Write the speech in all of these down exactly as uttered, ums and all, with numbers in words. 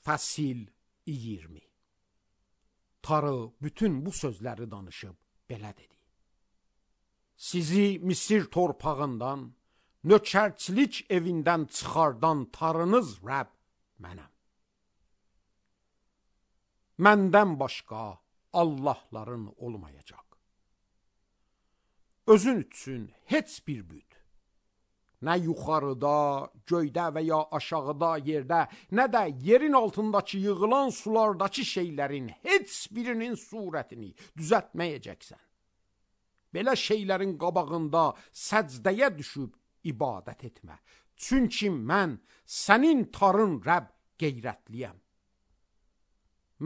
Fəsil iyirmi. Tarı bütün bu sözləri danışıb belə dedi. Sizi Misir torpağından, nökərçilik evindən çıxardan tarınız Rəbb mənəm. Məndən başqa Allahların olmayacaq. Özün üçün heç bir büt, nə yuxarıda, göydə və ya aşağıda yerdə, nə də yerin altındakı yığılan sulardakı şeylərin heç birinin surətini düzəltməyəcəksən. Belə şeylərin qabağında səcdəyə düşüb ibadət etmə. Çünki mən sənin tarın Rəbb qeyrətliyəm.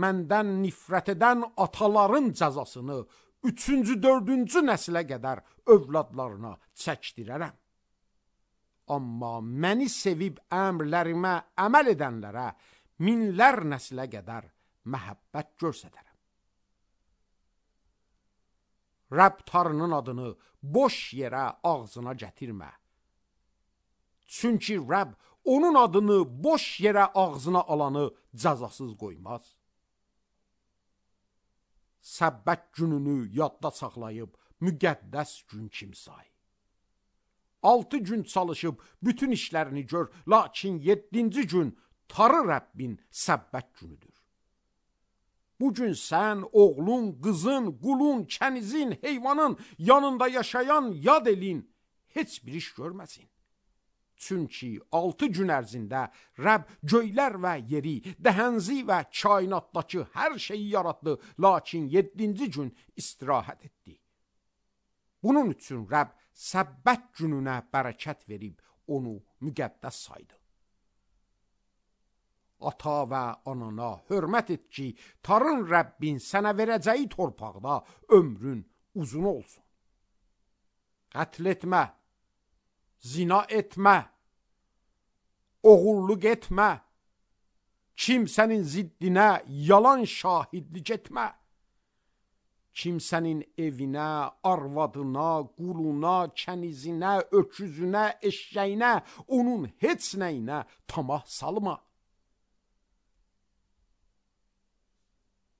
Məndən nifrət edən ataların cəzasını üçüncü, dördüncü nəslə qədər övladlarına çəkdirərəm. Amma məni sevib əmrlərimə əməl edənlərə minlər nəslə qədər məhəbbət göstərərəm. Rəbb tarının adını boş yerə ağzına gətirmə. Çünki Rəbb onun adını boş yerə ağzına alanı cəzasız qoymaz. Səbbət gününü yadda saxlayıb müqəddəs gün kimi say. Altı gün çalışıb bütün işlərini gör, lakin yeddinci gün tarı Rəbbin səbbət günüdür. Bugün sən, oğlun, qızın, qulun, kənizin, heyvanın, yanında yaşayan yad elin heç bir iş görməsin. Çünki altı gün ərzində Rəbb göylər və yeri, dəhənzi və kainatdakı hər şeyi yaratdı, lakin yeddinci gün istirahət etdi. Bunun üçün Rəbb səbbət gününə bərəkət verib onu müqəddəs saydı. Ata və anana hörmət et ki, tarın Rəbbin sənə verəcəyi torpaqda ömrün uzun olsun. Qətl etmə, zina etmə, oğurluq etmə, kimsənin ziddinə yalan şahidlik etmə, kimsənin evinə, arvadına, quluna, kənizinə, öküzünə, eşşəyinə, onun heç nəyinə tamah salma.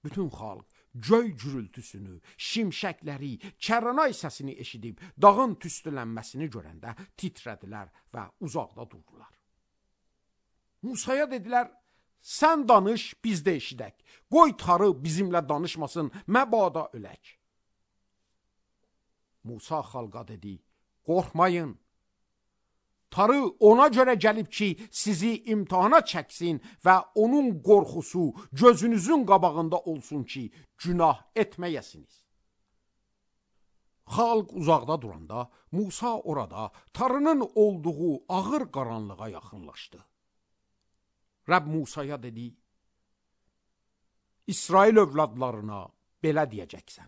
Bütün xalq göy gürültüsünü, şimşəkləri, kərənay səsini eşidib dağın tüstülənməsini görəndə titrədilər və uzaqda durdular. Musaya dedilər, sən danış, biz də eşidək. Qoy tarı bizimlə danışmasın, məbada ölək. Musa xalqa dedi, qorxmayın. Tarı ona görə gəlib ki, sizi imtihana çəksin və onun qorxusu gözünüzün qabağında olsun ki, günah etməyəsiniz. Xalq uzaqda duranda, Musa orada tarının olduğu ağır qaranlığa yaxınlaşdı. Rəbb Musaya dedi, İsrail övladlarına belə deyəcəksən.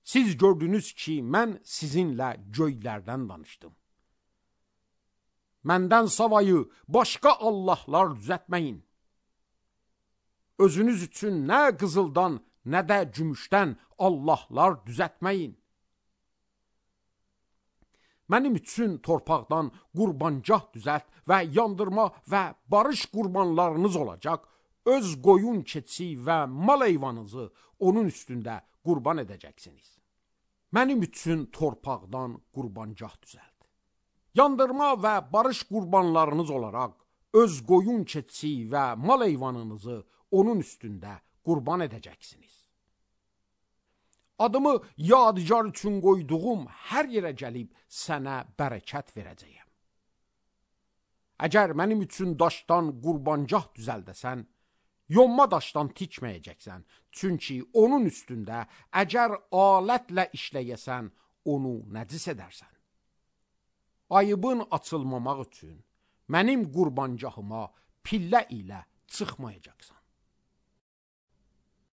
Siz gördünüz ki, mən sizinlə göylərdən danışdım. Məndən savayı başqa Allahlar düzəltməyin. Özünüz üçün nə qızıldan, nə də gümüşdən Allahlar düzəltməyin. Mənim üçün torpaqdan qurbancah düzəlt və yandırma və barış qurbanlarınız olacaq. Öz qoyun keçi və mal heyvanınızı onun üstündə qurban edəcəksiniz. Mənim üçün torpaqdan qurbancah düzəlt. Yandırma və barış qurbanlarınız olaraq öz qoyun keçi və mal heyvanınızı onun üstündə qurban edəcəksiniz. Adımı yadigar üçün qoyduğum hər yerə gəlib sənə bərəkət verəcəyəm. Əgər mənim üçün daşdan qurbancah düzəldəsən, yonma daşdan tikməyəcəksən. Çünki onun üstündə əgər alətlə işləyəsən, onu nəcis edərsən. Ayıbın açılmamaq üçün mənim qurbancahıma pillə ilə çıxmayacaqsan.